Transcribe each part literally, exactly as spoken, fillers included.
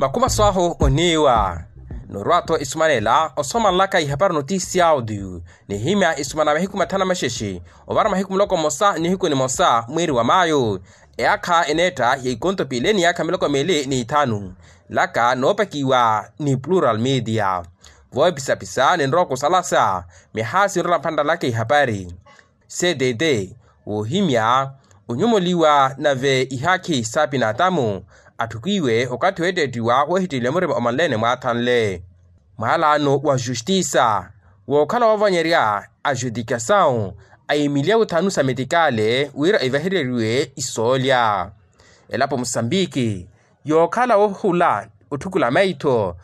Vakhuvaso ahu oniiwa. Norwa-tho esumanela osomalelaka ihapari notisi ya audio nihimya esumana mahiku mathanu maxexe ovara mahiku muloko mmosa nihiku nimosa mwiiri wa mayo. Eyaakha eneetta ya ikonto piili ni yaakha miloko miili n'ithanu. Laka noopakiwa ni plural media. Voopisapisa ninrowa okusalasa mihaasi nrola mphantta laka ihapari. Ctt woohimya onyomoliwa nave ihaakhi saapinatamu atthukiwe okathi weettettiwa woohittiweliwa murima omanleene mwaathanle. Mwaalaano wa justisa wookhala woovanyerya ajudikasawu a imiliyawu thanu sa metikale wira evahereriwe isoolya. Elapo musambiki yookhala wohula otthukula maitho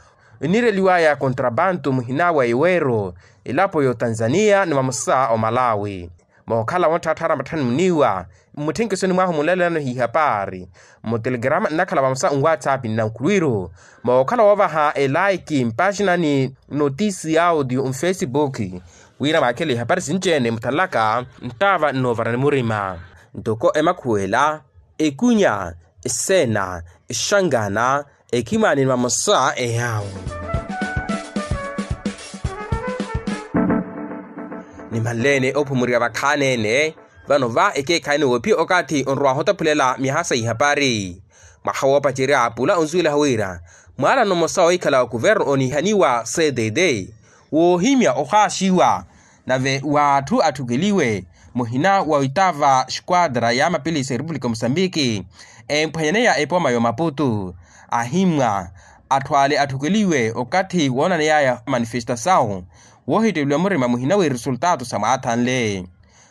eniireliwaya kontrabantu muhina wa iweero elapo y'otanzaniya ni vamosa omalawi. Mookhala wontthatthaara matthani muniiwa mmutthenkiso ni mwahu munlelelano hihapari mutelegrama nnakhala vamosa nwatsapi nnankhulwiru. Mookhala woovaha elaiki mpaxina ni notisi ya audio mfesibuki wira mwaakhele ihapari sinci-ene muthanlaka nttaava nnoovarani murima. Ntoko emakhuwela ekunya eseena exangana ekhimani ni vamosa eyawu. Nimanleene ophumuriwa vakhaani-ene vano va ekeekhaani woophiya okathi onrowahu otaphulela myaha sa ihapari. Mwaha woopacerya pula onsuwelaha wira mwaalano mmosa woohikhala wa kuverno onihaniwa ctt woohimya ohaaxiwa nave w'atthu atthukeliwe muhina wa oitaava xquadra ya mapilisi a repupulika musambiki emphwanyaneya epooma y'omaputu. Ahimmwa atthu ale atthukeliwe okathi woonaneyaya manifestasawu woohitteleliwa murima muhina w'eresultato sa mwaathanle.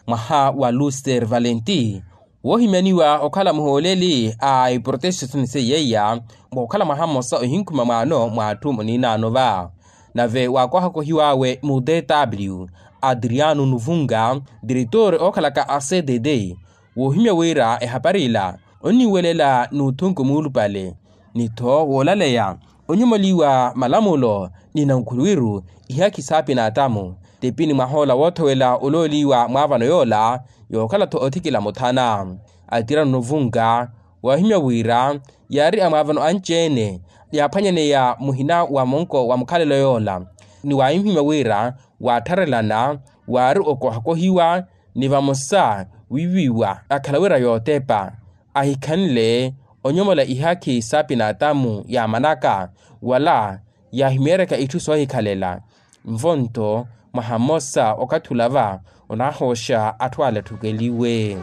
Mwaha wa luster valenti woohimyaniwa okhala muhooleli a iprotestisoni seiya mwa okhala mwaha mmosa ohinkhuma mwaano mwa atthu muniinaano va. Nave waakohakohiw'awe mu dw adriano nuvunga diretor ookhalaka a cdd woohimya wira ehapari ila onniwelela n'uthunku muulupale ni-tho woolaleya onyomoliwa malamulo ni nankhulwiru ihaakhi saapinatamu. Tipi ni mwahoola woothowela olooliwa mwaavano yoola yookhala-tho othikila muthana atirano novunga waahimya wira yaari amwaavano anci-ene yaaphwanyaneya muhina wa monko wa mukhalelo yoola ni waahimya wira waattharelana waari okohakohiwa ni vamosa wiiwiwa akhala wira yootepa ahikhanle onyomola ihaakhi saapinatamu yaamanaka wala yaahimeeryaka itthu soohikhalela. Nvo-nto mwaha mmosa okathi olava onaahooxa atthu ale atthukeliwe.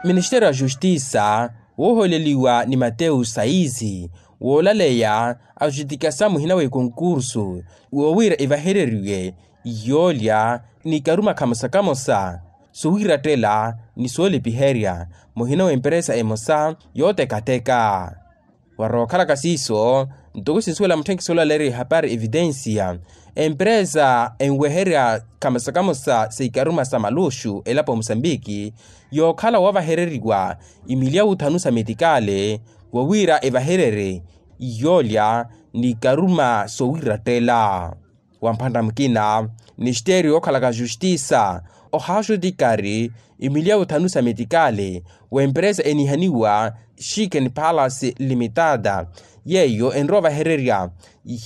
Ministeriyo a justisa woohooleliwa ni matewu sayizi woolaleya ajudikasa muhina w'ekonkursu woowira evahereriwe yoolya ni karuma kamosa kamosa sowiirattela ni soolipiherya muhina w'emperesa emosa yootekateka. Warookhalaka siiso ntoko sinsuwela mutthenkiso olaleerya ehapari evitensiya emperesa enweherya kamosa kamosa seikaruma sa maluxu elapo musambiki yookhala woovahereriwa imiliyawu thanu sa metikale wowiira evahererye yoolya ni karuma sowiirattela. Wa mphantta mukina ministeriyo yookhalaka justisa ohaaxutikari imiliyawu thanu sa metikale w'emperesa enihaniwa chicken palace limitada yeeyo enrowa ovahererya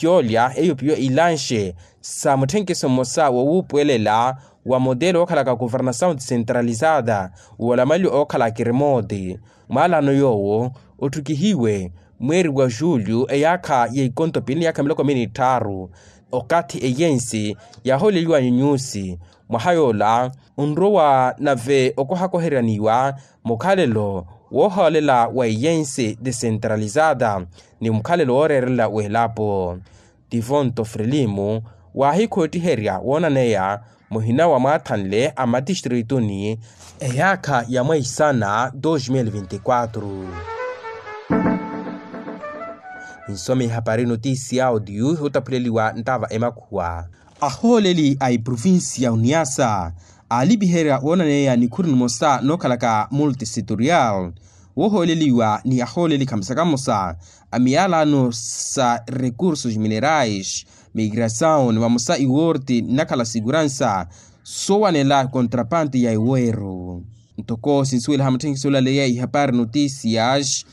yoolya eyo piyo ilanxe sa mutthenkiso mmosa wowuupuwelela wa motelo wookhalaka kuvernasawu decentralizada woolamaliwa ookhala akirimooti. Mwaalano yoowo otthukihiwe mweeri wa julyu eyaakha ya ikonto piili ni yaakha miloko miili ni tthaaru okathi eyensi yaahooleliwa nyunyuusi mwaha yoola onrowa nave okohakoheryaniwa mukhalelo woohoolela wa eyensi decentralizada ni mukhalelo wooreerela w'elapo. Tivo nto frelimu waahikhoottiherya woonaneya muhina wa mwaathanle a matistrituni eyaakha ya mwaisana dos mil vinti quatro. Nsome ihapari notisi ya audio yootaphuleliwa ntaava emakhuwa. Ahooleli a iprovinsi ya uniasa aalipiherya woonaneya nikhuru nimosa nookhalaka multisetorial woohooleliwa ni ahooleli khamosa khamosa a miyalano sa recursos minerais migrasawu ni vamosa iworti nnakhala seguransa soowanela kontrapante ya iweero. Ntoko sinsuweliha mutthenkiso olaleya ihapari notisias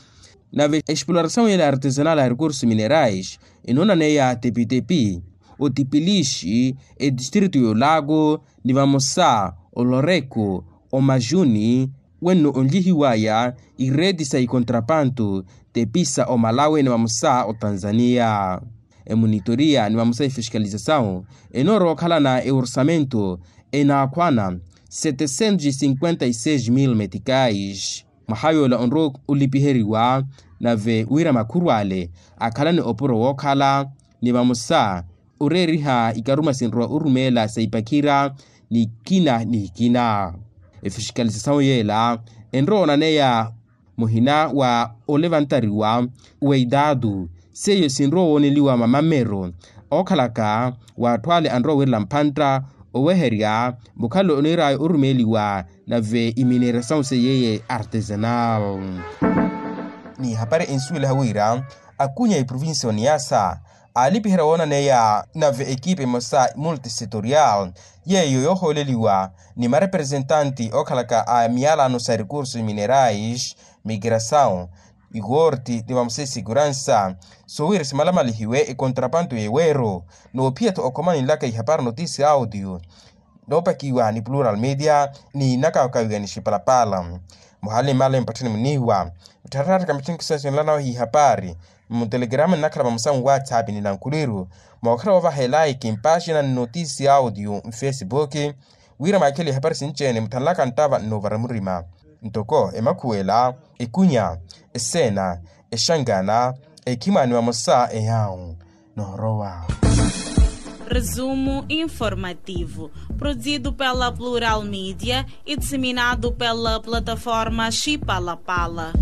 Nave explorasau yela artesanal a recursos minerais enoona neya tepitepi, otipilixi, etistrito y'olago, ni vamosa oloreko, omajuni, wenno onlihiwaya ireti sa ikontrapanto tepisa omalawi ni vamosa otanzania. Emonitoria ni vamosa efixikalizasawu enoorowa okhalana eorsamento enaakhwana setecentos e cinquenta e seis mil metikais. Mwaha yoola onrowa olipiheriwa nave wira makhurwale akhalane opuro wookhala ni vamosa oreeriha ikaruma sinrowa orumeela sa ipakhira ni ikina ni ikina. Efixikalizasawu yeela enrowa onaneya muhina wa olevantariwa wa idatu seiyo sinrowa wooneliwa mamamero ookhalaka w'atthu ale anrowa wirela mphantta oweherya mukhalo oniiraya orumeeliwa nave imineerasawu seiye artesanal. Ni hapari ensuweliha wira akunya eprovincia oniasa aalipiherya woonaneya nave ekipe emosa multisetorial yeeyo yoohooleliwa ni marepresentanti ookhalaka a miyalano sa recursos minerais, migrasaw, ikorti ni vamosa esekuransa soowira simalamalihiwe ekontrapanto y'eweero. Noophiya-tho okhoma ninlaka ihapari notisi audio noopakiwa ni plural media ni nakaakawiwa ni xipalapala. Muhale male mpatthani muniiwa muttharattaka mitthunkiso sinlanawe hihapari mutelegrama nnakhala vamosa nwatsapp ni nankhuliru mookhala woovaha elaiki mpaxina nnotisi audio mfesibuki wira mwaakhele ihapari sinci-ene muthanlaka nttava nnoovara murima ntoko emakhuwela, ekunya, eseena, exangana, ekhimwaani vamosa eyawu noorowa. Resumo informativo, produzido pela Plural Media e disseminado pela plataforma Chipalapala.